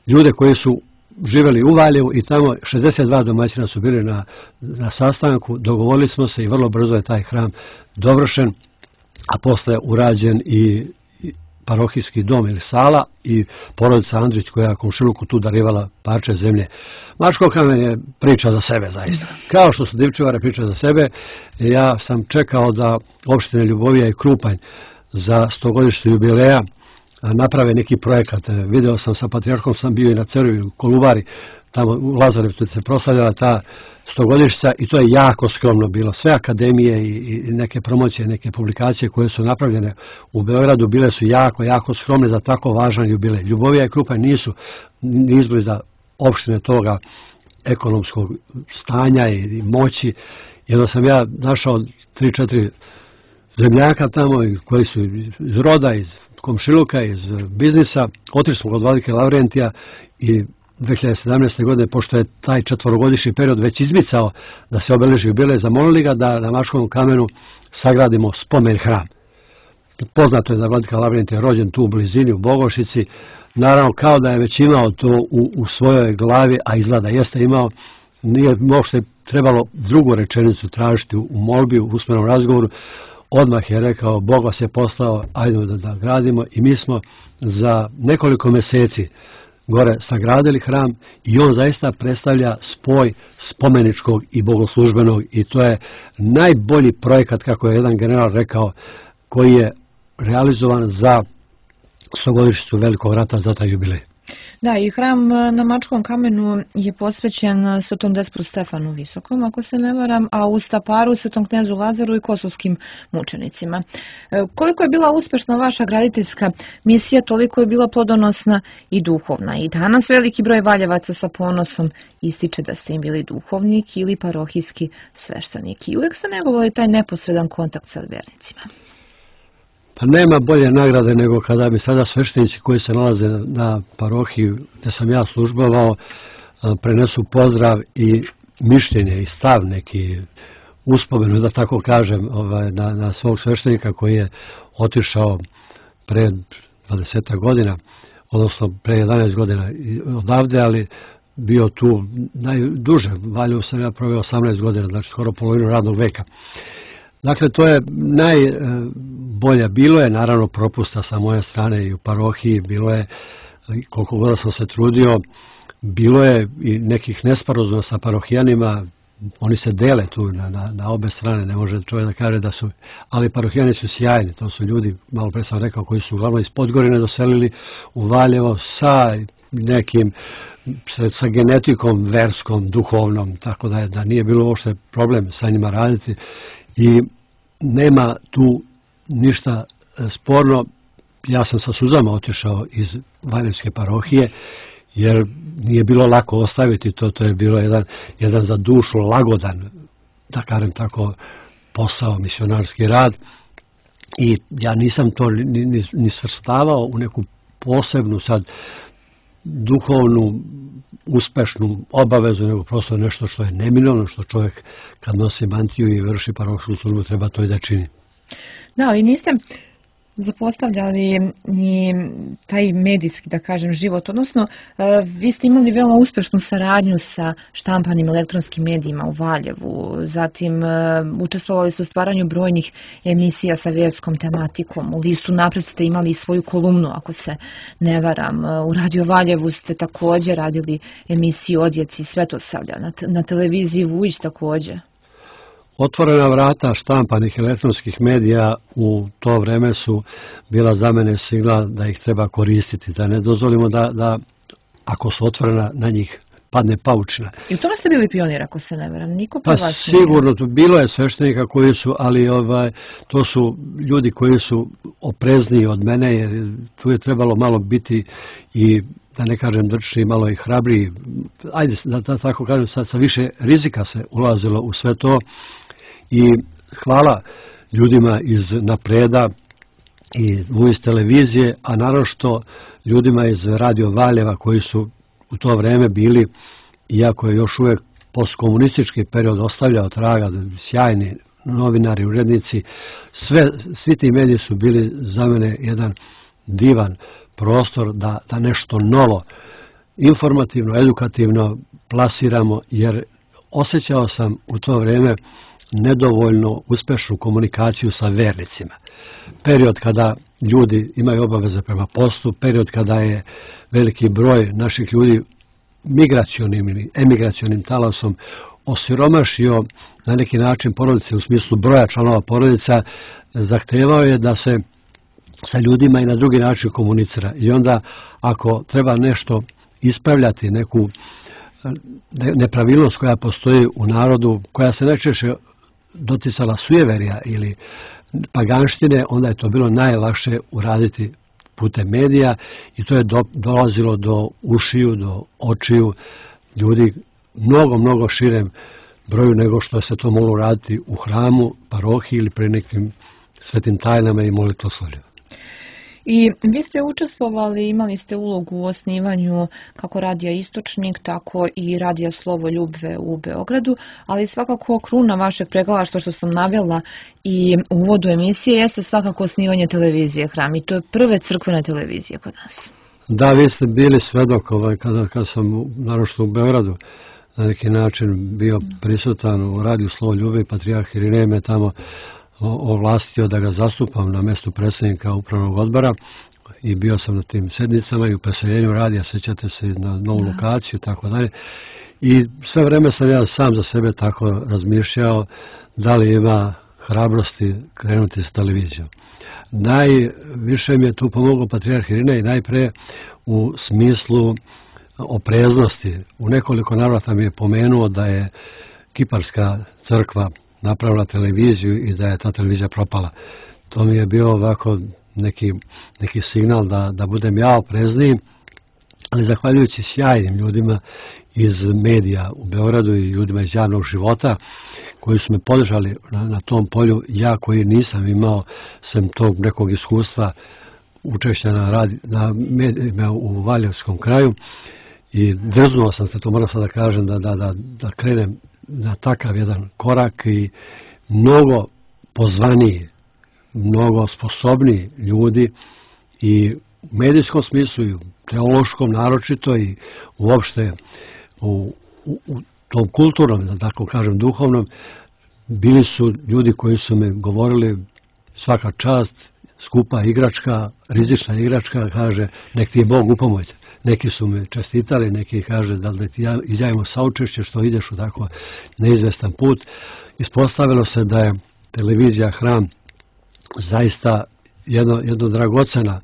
ljude koji su živjeli u Valjevu i tamo 62 domaćina su bili na sastanku. Dogovorili smo se i vrlo brzo je taj hram dovršen, a posle urađen i parohijski dom ili sala i porodica Andrić koja je komšiluku tu darivala parče zemlje. Mačko kamen je priča za sebe zaista. Kao što su Divčevare priča za sebe, ja sam čekao da opštine Ljubovija i Krupanj za 100-godišnjicu jubileja naprave neki projekat. Video sam sa patrijarhom, sam bio i na Cerovi u Kolubari, tamo u Lazarevcu se proslavljala ta 100-godišnjica i to je jako skromno bilo. Sve akademije i neke promocije, neke publikacije koje su napravljene u Beogradu bile su jako skromne za tako važan jubilej. Ljubovija i Krupanj nisu ni izbliza opštine toga ekonomskog stanja i moći. Jedno sam ja našao 3-4 zemljaka tamo koji su iz roda, iz komšiluka, iz biznisa. Otišli smo kod vladike Lavrentija i 2017. godine, pošto je taj 4-godišnji period već izmicao da se obeleži jubilej, zamolili ga da na Mačkovom kamenu sagradimo spomen hram. Poznato je da vladika Lavrentij je rođen tu u blizini, u Bogošici. Naravno, kao da je već imao to u svojoj glavi, a izgleda jeste imao. Nije možda trebalo drugu rečenicu tražiti u molbi, u usmenom razgovoru. Odmah je rekao: Bog vas je poslao, ajde da gradimo, i mi smo za nekoliko mjeseci gore sagradili hram i on zaista predstavlja spoj spomeničkog i bogoslužbenog i to je najbolji projekat, kako je jedan general rekao, koji je realizovan za 100-godišnjicu Velikog rata, za taj jubilej. Da, i hram na Mačkom kamenu je posvećen Svetom Despru Stefanu Visokom, ako se ne varam, a u Staparu Svetom knezu Lazaru i kosovskim mučenicima. Koliko je bila uspešna vaša graditeljska misija, toliko je bila plodonosna i duhovna. I danas veliki broj Valjevaca sa ponosom ističe da ste im bili duhovnik ili parohijski sveštenik. I uvijek ste negovali taj neposredan kontakt sa vernicima. Pa nema bolje nagrade nego kada mi sada sveštenici koji se nalaze na parohiji gdje sam ja službovao prenesu pozdrav i mišljenje i stav neki uspomenu, da tako kažem, na svog sveštenika koji je otišao pre 20 godina, odnosno pre 11 godina odavde, ali bio tu najduže. Valjevu sam ja proveo 18 godina, znači skoro polovinu radnog veka. Dakle, to je najbolja. Bilo je naravno propusta sa moje strane i u parohiji, bilo je, koliko god sam se trudio, bilo je i nekih nesporazuma sa parohijanima. Oni se dele tu na obe strane, ne može čovjek da kaže da su, ali parohijani su sjajni, to su ljudi, malo pre sam rekao, koji su uglavnom iz Podgorine doselili u Valjevo sa nekim, sa genetikom verskom, duhovnom, tako da nije bilo uopšte problem sa njima raditi i nema tu ništa sporno. Ja sam sa suzama otišao iz Valjevske parohije, jer nije bilo lako ostaviti to je bilo jedan za dušu lagodan, da kažem tako, posao, misionarski rad, i ja nisam to ni svrstavao u neku posebnu sad duhovnu, uspešnu obavezu, nego prosto nešto što je neminovno, što čovjek kad nosi mantiju i vrši parohijsku službu treba to i da čini. Da, ali niste zapostavljali ni taj medijski, da kažem, život, odnosno vi ste imali veoma uspešnu saradnju sa štampanim elektronskim medijima u Valjevu, zatim učestvovali ste u stvaranju brojnih emisija sa vjerskom tematikom, u listu Napred ste imali svoju kolumnu, ako se ne varam, u Radio Valjevu ste također radili emisiju o djeci Svetosavlja, na televiziji Vujić također. Otvorena vrata štampanih elektronskih medija u to vreme su bila za mene signal da ih treba koristiti, da ne dozvolimo da ako su otvorena na njih padne paučina. I u tome ste bili pionir, ako se ne veram, niko pa vas sigurno, bilo je sveštenika koji su, ali to su ljudi koji su oprezniji od mene, jer tu je trebalo malo biti i, da ne kažem drčni, malo i hrabriji. Ajde, da tako kažem, sa više rizika se ulazilo u sve to. I hvala ljudima iz Napreda i iz televizije, a naročito ljudima iz Radio Valjeva koji su u to vreme bili, iako je još uvijek postkomunistički period ostavljao traga, sjajni novinari, urednici, svi ti mediji su bili za mene jedan divan prostor da nešto novo, informativno, edukativno plasiramo, jer osjećao sam u to vrijeme nedovoljno uspešnu komunikaciju sa vernicima. Period kada ljudi imaju obaveze prema postu, period kada je veliki broj naših ljudi migracionim ili emigracionim talasom osiromašio na neki način porodice u smislu broja članova porodica, zahtevao je da se sa ljudima i na drugi način komunicira. I onda ako treba nešto ispravljati, neku nepravilnost koja postoji u narodu, koja se najčešće doticala sujeverja ili paganštine, onda je to bilo najlakše uraditi putem medija i to je dolazilo do ušiju, do očiju ljudi mnogo širem broju nego što se to moglo raditi u hramu, parohiji ili pri nekim svetim tajnama i molitvoslovljima. I vi ste učestvovali, imali ste ulogu u osnivanju kako Radija Istočnik, tako i Radija Slovoljube u Beogradu, ali svakako kruna vašeg pregalaštva, što sam navela i u uvodu emisije, jeste svakako osnivanje televizije Hram, i to je prve crkvene televizije kod nas. Da, vi ste bili svedok kada sam naročito u Beogradu na neki način bio prisutan u Radiju Slovoljube i Patrijarh Irinej me tamo ovlastio da ga zastupam na mjestu predsjednika upravnog odbora i bio sam na tim sednicama i u preseljenju radija, sjećate se, na novu lokaciju i tako dalje. I sve vreme sam ja sam za sebe tako razmišljao da li ima hrabrosti krenuti s televizijom. Najviše mi je tu pomogao Patrijarh Irinej, najpre u smislu opreznosti. U nekoliko navrata mi je pomenuo da je Kiparska crkva napravila televiziju i da je ta televizija propala. To mi je bio ovako neki signal da budem ja oprezniji, ali zahvaljujući sjajnim ljudima iz medija u Beogradu i ljudima iz javnog života koji su me podržali na tom polju, ja koji nisam imao sem tog nekog iskustva učešća na medijima u Valjevskom kraju, i drznuo sam se, to moram sad da kažem, da krenem na takav jedan korak i mnogo pozvaniji, mnogo sposobniji ljudi i u medijskom smislu i u teološkom naročito i uopšte u tom kulturnom, da tako kažem, duhovnom, bili su ljudi koji su me govorili svaka čast, skupa igračka, rizična igračka, kaže, nek ti je Bog u pomoć. Neki su me čestitali, neki kaže da li ti izjavimo saučešće što ideš u tako neizvestan put. Ispostavilo se da je televizija Hram zaista jedno dragocena,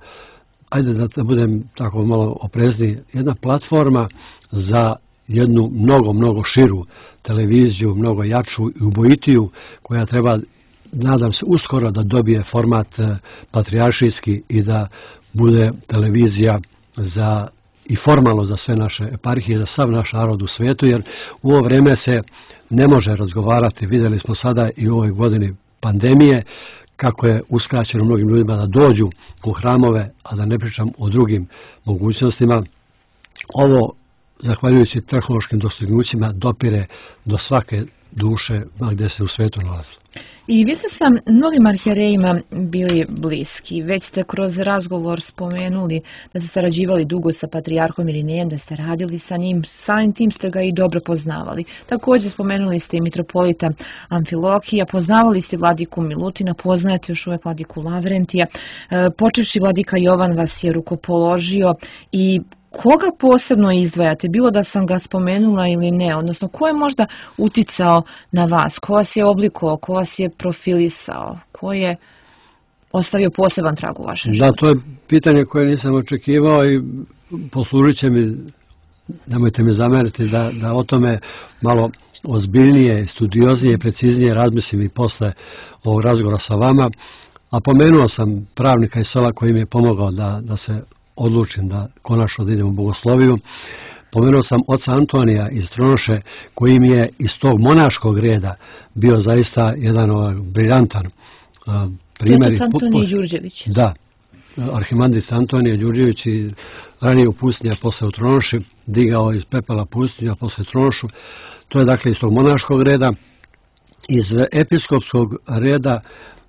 ajde da budem tako malo oprezniji, jedna platforma za jednu mnogo širu televiziju, mnogo jaču i ubojitiju, koja treba, nadam se, uskoro da dobije format patrijaršijski i da bude televizija za i formalno za sve naše eparhije, za sav naš narod u svijetu, jer u ovo vrijeme se ne može razgovarati. Vidjeli smo sada i u ovoj godini pandemije kako je uskraćeno mnogim ljudima da dođu u hramove, a da ne pričam o drugim mogućnostima. Ovo, zahvaljujući tehnološkim dostignućima, dopire do svake duše gdje se u svijetu nalazi. I vi ste sa mnogim arhijerejima bili bliski. Već ste kroz razgovor spomenuli da ste sarađivali dugo sa patrijarhom Irinejem, da ste radili sa njim, samim tim ste ga i dobro poznavali. Također spomenuli ste i mitropolita Amfilohija, poznavali ste vladiku Milutina, poznajete još uvijek vladiku Lavrentija, počevši vladika Jovan vas je rukopoložio i koga posebno izdvajate, bilo da sam ga spomenula ili ne, odnosno ko je možda uticao na vas, ko vas je oblikovao, ko vas je profilisao, ko je ostavio poseban trag u vašem životu? Da, to je pitanje koje nisam očekivao i poslužit će mi, nemojte mi zameriti, da o tome malo ozbiljnije, studioznije, preciznije razmislim i posle ovog razgovora sa vama. A pomenuo sam pravnika iz sela koji mi je pomogao da se odlučim da konačno da idem u bogosloviju. Pomenuo sam oca Antonija iz Tronoše, koji mi je iz tog monaškog reda bio zaista jedan briljantan primjer. Otac Antonije Đurđević. Da, arhimandrit Antonije Đurđević i ranije u pustinji, a posle u Tronoši, digao iz pepela pustinju, a posle Tronošu. To je dakle iz tog monaškog reda. Iz episkopskog reda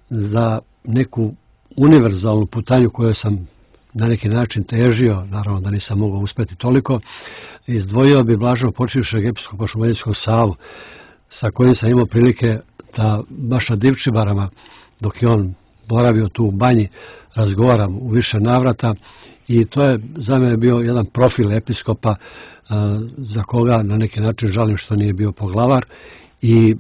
za neku univerzalnu putanju koju sam na neki način težio, naravno da nisam mogao uspjeti toliko, izdvojio bi blaženo počivšeg episkopa Šumadijskog Savu, sa kojim sam imao prilike da baš na Divčibarama, dok je on boravio tu u banji, razgovaram u više navrata i to je za mene bio jedan profil episkopa za koga na neki način žalim što nije bio poglavar. I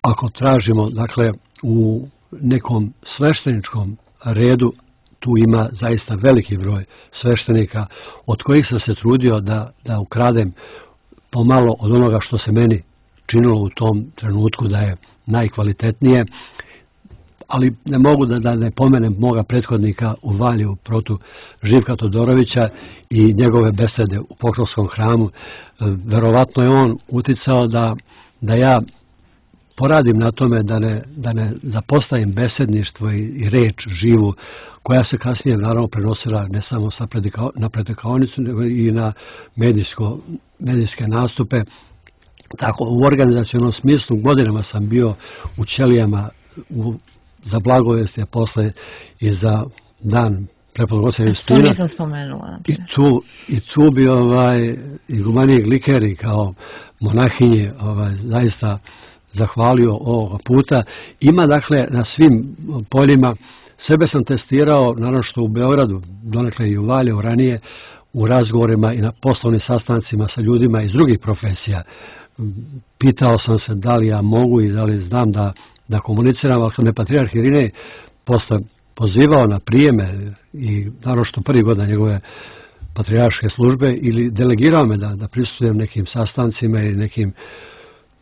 ako tražimo, dakle, u nekom svešteničkom redu, tu ima zaista veliki broj sveštenika od kojih sam se trudio da ukradem pomalo od onoga što se meni činilo u tom trenutku da je najkvalitetnije, ali ne mogu da ne pomenem moga prethodnika u Valju protu Živka Todorovića i njegove besede u Pokrovskom hramu. Verovatno je on uticao da ja poradim na tome da ne zapostavim besedništvo i reč živu, koja se kasnije naravno prenosila ne samo na predikaonicu, nego i na medijske nastupe. Tako, u organizacionom smislu godinama sam bio u ćelijama za blagovesti, a posle i za dan prepodnog oca Justina. To nisam spomenula. I tu bi igumanije Glikeri kao monahinje zaista zahvalio ovoga puta. Ima dakle na svim poljima. Sebe sam testirao, naravno što u Beogradu, donekle i u Valjevu ranije, u razgovorima i na poslovnim sastancima sa ljudima iz drugih profesija. Pitao sam se da li ja mogu i da li znam da komuniciram, ali sam me patrijarh Irinej posle pozivao na prijeme i naravno što prvi godina njegove patrijarške službe ili delegirao me da prisustvujem nekim sastancima i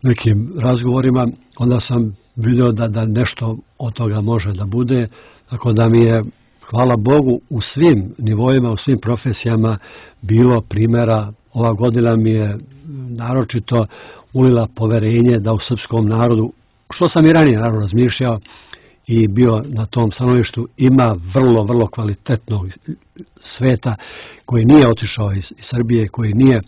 nekim razgovorima, onda sam vidio da nešto od toga može da bude. Tako da mi je, hvala Bogu, u svim nivoima, u svim profesijama bilo primjera. Ova godina mi je naročito ulila poverenje da u srpskom narodu, što sam i ranije naravno razmišljao i bio na tom stanovištu, ima vrlo kvalitetnog sveta koji nije otišao iz Srbije, koji nije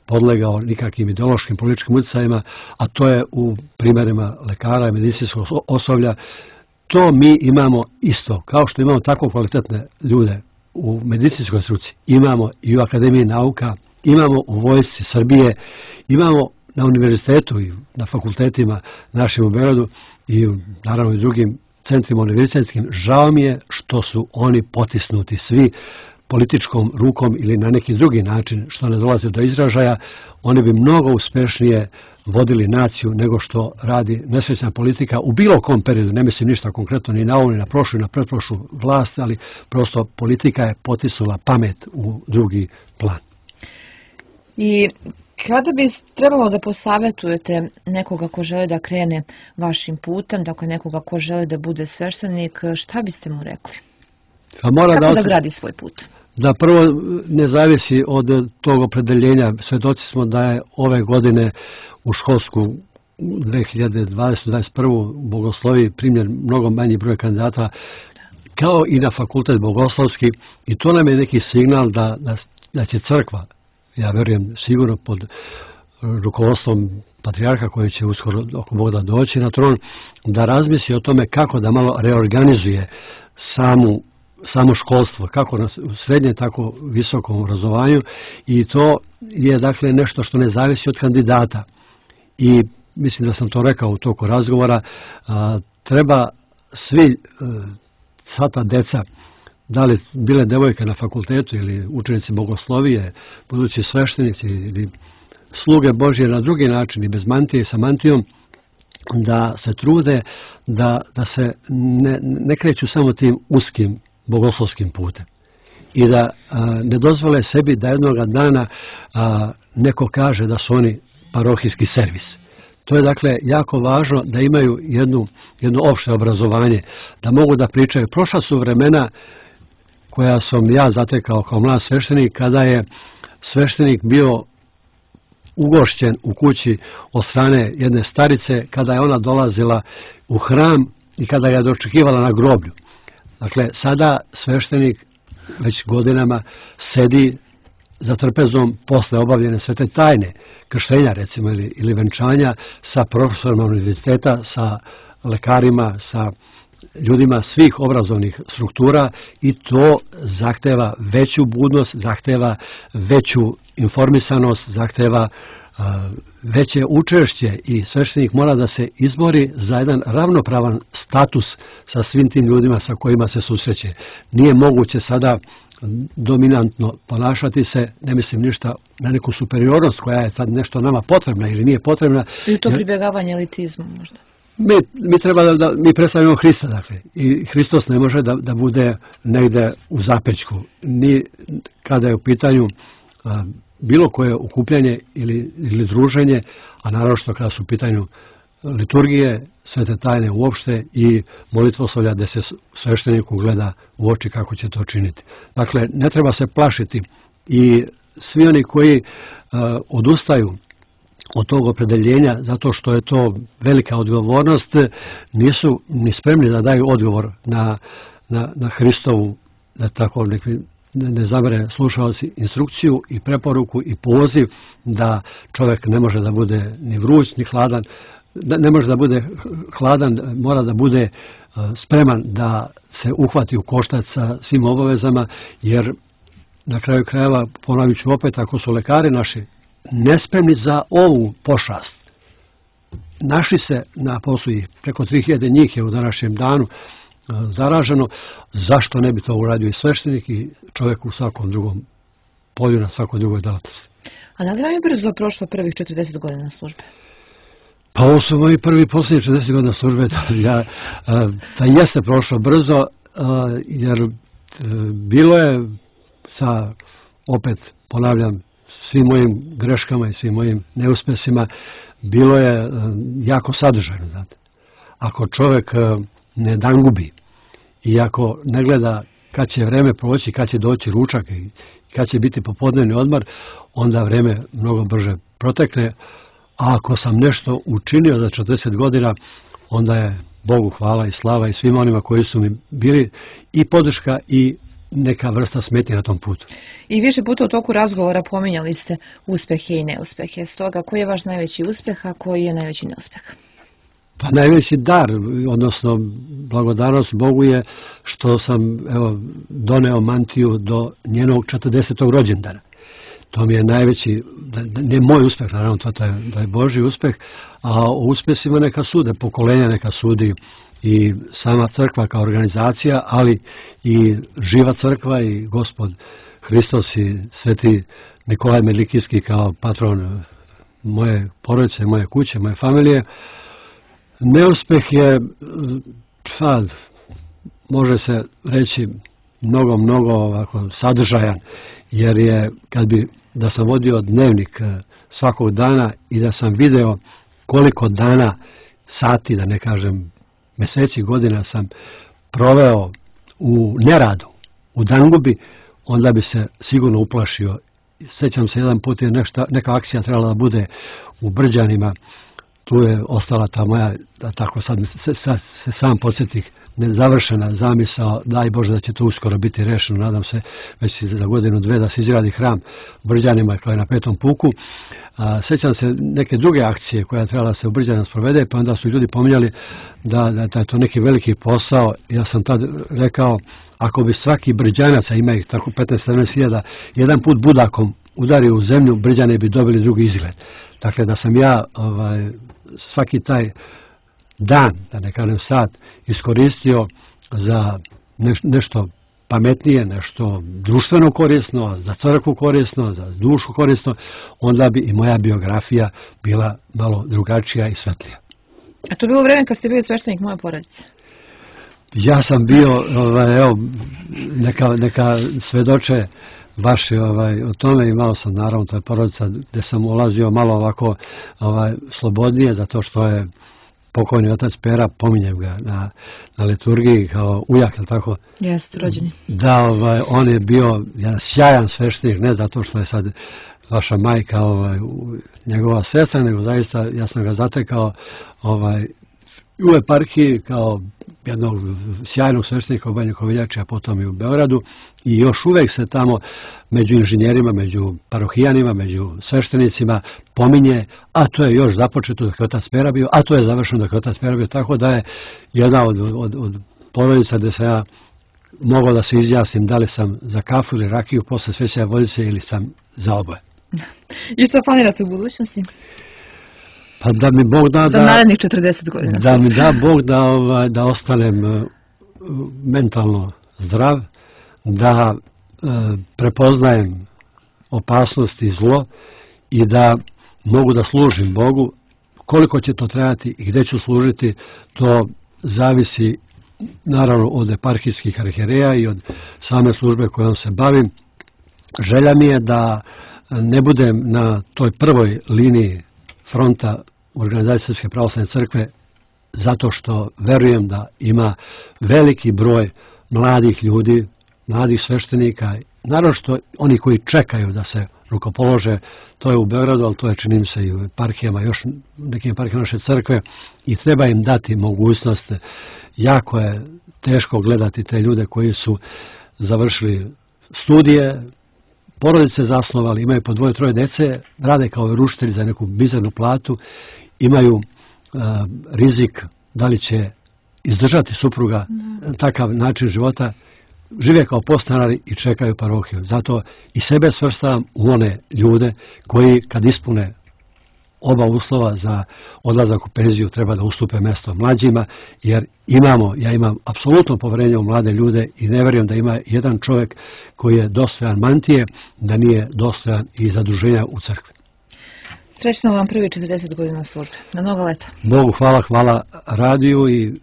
podlegao nikakvim ideološkim političkim utjecajima, a to je u primjerima lekara i medicinskog osoblja. To mi imamo isto, kao što imamo tako kvalitetne ljude u medicinskoj struci, imamo i u Akademiji nauka, imamo u Vojsci Srbije, imamo na univerzitetu i na fakultetima našim u Beogradu i naravno i drugim centrima univerzitetskim. Žao mi je što su oni potisnuti svi političkom rukom ili na neki drugi način što ne dolazi do izražaja. Oni bi mnogo uspešnije vodili naciju nego što radi nesrećna politika u bilo kom periodu. Ne mislim ništa konkretno ni na ovu, ni na prošlu, ni na pretprošlu vlast, ali prosto politika je potisnula pamet u drugi plan. I kada bi trebalo da posavjetujete nekoga ko želi da krene vašim putem, dakle nekoga ko želi da bude sveštenik, šta biste mu rekli? Kako da gradi svoj put? Da prvo ne zavisi od tog opredeljenja. Svedoci smo da je ove godine u školsku 2020-2021 bogosloviji primljen mnogo manji broj kandidata kao i na fakultet bogoslovski i to nam je neki signal da će crkva, ja verujem sigurno pod rukovodstvom patrijarha koji će uskoro oko Boga doći na tron, da razmisli o tome kako da malo reorganizuje samo školstvo, kako na srednje, tako visokom obrazovanju i to je dakle nešto što ne zavisi od kandidata. I mislim da sam to rekao u toku razgovora, treba svi, sva ta deca, da li bile devojke na fakultetu ili učenici bogoslovije, budući sveštenici ili sluge Božje na drugi način i bez mantije i sa mantijom, da se trude da se ne kreću samo tim uskim bogoslovskim putem i da ne dozvole sebi da jednoga dana neko kaže da su oni parohijski servis. To je dakle jako važno da imaju jedno opšte obrazovanje, da mogu da pričaju. Prošla su vremena koja sam ja zatekao kao mlad sveštenik, kada je sveštenik bio ugošćen u kući od strane jedne starice, kada je ona dolazila u hram i kada ga je dočekivala na groblju. Dakle, sada sveštenik već godinama sedi za trpezom posle obavljene svete tajne, krštenja recimo ili venčanja sa profesorima univerziteta, sa lekarima, sa ljudima svih obrazovnih struktura i to zahteva veću budnost, zahteva veću informisanost, zahteva veće učešće i sveštenik mora da se izbori za jedan ravnopravan status sa svim tim ljudima sa kojima se susreće. Nije moguće sada dominantno ponašati se, ne mislim ništa na neku superiornost koja je sad nešto nama potrebna ili nije potrebna. I to pribjegavanje elitizmu možda? Mi treba mi predstavljamo Hrista, dakle, i Hristos ne može da bude negde u zapećku. Ni kada je u pitanju bilo koje okupljanje ili druženje, a naravno što kada su u pitanju liturgije, svete tajne uopšte i molitvoslovlja gde se svešteniku gleda u oči kako će to činiti. Dakle, ne treba se plašiti i svi oni koji odustaju od tog opredeljenja zato što je to velika odgovornost, nisu ni spremni da daju odgovor na Hristovu, da tako ne zamere slušalci, instrukciju i preporuku i poziv da čovjek ne može da bude ni vruć ni hladan, ne može da bude hladan, mora da bude spreman da se uhvati u koštac sa svim obavezama, jer na kraju krajeva, ponovit ću opet, ako su lekari naši nespremni za ovu pošast, našli se na poslu i preko 3000 njih je u današnjem danu zaraženo, zašto ne bi to uradio i sveštenik i čovjek u svakom drugom polju, na svakoj drugoj delatnosti. A da li vam je brzo prošlo prvih 40 godina službe? Pa ovo su moji prvi posljednji 40 godina službe, da jeste prošlo brzo, jer bilo je sa, opet ponavljam, svim mojim greškama i svim mojim neuspesima, bilo je jako sadržajno. Znate. Ako čovjek ne dangubi i ako ne gleda kad će vreme proći, kad će doći ručak i kad će biti popodnevni odmor, onda vreme mnogo brže protekne. A ako sam nešto učinio za 40 godina, onda je Bogu hvala i slava i svima onima koji su mi bili i podrška i neka vrsta smetnje na tom putu. I više puta u toku razgovora pominjali ste uspehe i neuspehe. Stoga, koji je vaš najveći uspeh, a koji je najveći neuspeh? Pa najveći dar, odnosno blagodarnost Bogu je što sam doneo mantiju do njenog 40. rođendana. To mi je najveći, ne moj uspeh, naravno to je Božji uspeh, a o uspjesima neka sude, pokolenja neka sudi i sama crkva kao organizacija, ali i živa crkva i Gospod Hristos i sveti Nikolaj Medlikijski kao patron moje porodice, moje kuće, moje familije. Neuspeh je, može se reći, mnogo ovako sadržajan, jer je da sam vodio dnevnik svakog dana i da sam video koliko dana, sati, da ne kažem meseci, godina sam proveo u neradu, u dangubi, onda bi se sigurno uplašio. Sjećam se, jedan put je neka akcija trebala da bude u Brđanima, tu je ostala ta moja, da tako sad se sam podsjetih, nezavršena zamisao, daj Bože da će to uskoro biti rešeno, nadam se već za godinu, dve da se izgradi hram u Brđanima kao je na Petom puku. Sjećam se neke druge akcije koja je trebala se u Brđanima sprovede, pa onda su ljudi pominjali da je to neki veliki posao. Ja sam tad rekao, ako bi svaki Brđanac, a ima ih tako 15-17 hiljada, jedan put budakom udario u zemlju, Brđane bi dobili drugi izgled. Dakle, da sam ja svaki taj dan, da ne kažem sat, iskoristio za nešto pametnije, nešto društveno korisno, za crkvu korisno, za dušu korisno, onda bi i moja biografija bila malo drugačija i svetlija. A to je bilo vreme kad ste bili sveštenik moje porodice? Ja sam bio, neka svedoče baš o tome, imao sam naravno, to je porodica gdje sam ulazio malo ovako slobodnije, zato što je pokojni otac Pera, pominjem ga na liturgiji kao ujak, ili tako? Jeste, rođeni. Da, on je bio jedan sjajan sveštenik, ne zato što je sad vaša majka njegova sestra, nego zaista ja sam ga zatekao u eparhiji kao jednog sjajnog sveštenika u Banji Koviljači, a potom i u Beogradu, i još uvek se tamo među inženjerima, među parohijanima, među sveštenicima pominje, a to je još započeto dok je otac Pera bio, a to je završeno dok je otac Pera bio, tako da je jedna od porodica gde sam ja mogao da se izjasnim da li sam za kafu ili rakiju posle svećanja vodice ili sam za oboje. I što planirate u budućnosti? Pa da mi Bog da... Za narednih 40 godina. Da mi da Bog da ostanem mentalno zdrav, da prepoznajem opasnost i zlo i da mogu da služim Bogu. Koliko će to trajati i gdje ću služiti, to zavisi naravno od eparhijskih arhijereja i od same službe kojom se bavim. Želja mi je da ne budem na toj prvoj liniji fronta organizacije Srpske pravoslavne crkve, zato što verujem da ima veliki broj mladih ljudi, mladih sveštenika, naravno što oni koji čekaju da se rukopolože, to je u Beogradu, ali to je, čini mi se, i u eparhijama, još nekim eparhijama naše crkve, i treba im dati mogućnost. Jako je teško gledati te ljude koji su završili studije, porodice zasnovali, imaju po 2-3 dece, rade kao rušitelji za neku bizarnu platu, imaju rizik da li će izdržati supruga takav način života, žive kao podstanari i čekaju parohiju. Zato i sebe svrstavam u one ljude koji kad ispune oba uslova za odlazak u penziju treba da ustupe mesto mlađima, jer ja imam apsolutno poverenje u mlade ljude i ne vjerujem da ima jedan čovjek koji je dostojan mantije, da nije dostojan i zadruženja u crkvi. Srećno vam prvi 40 godina službe. Na mnogo leta. Bogu hvala radiju i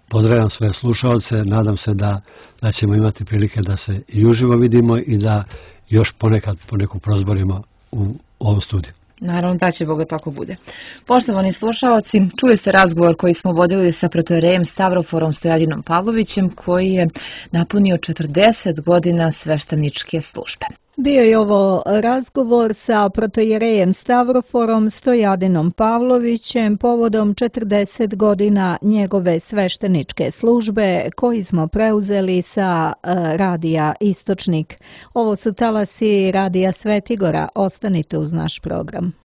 pozdravljam sve slušalce. Nadam se da ćemo imati prilike da se i uživo vidimo i da još ponekad poneku prozborimo u ovom studiju. Naravno da će Boga tako bude. Poštovani slušalci, čuli ste razgovor koji smo vodili sa protojerejem Stavroforom Stojadinom Pavlovićem, koji je napunio 40 godina svešteničke službe. Bio je ovo razgovor sa protojerejem Stavroforom Stojadinom Pavlovićem povodom 40 godina njegove svešteničke službe koji smo preuzeli sa radija Istočnik. Ovo su talasi radija Svetigora. Ostanite uz naš program.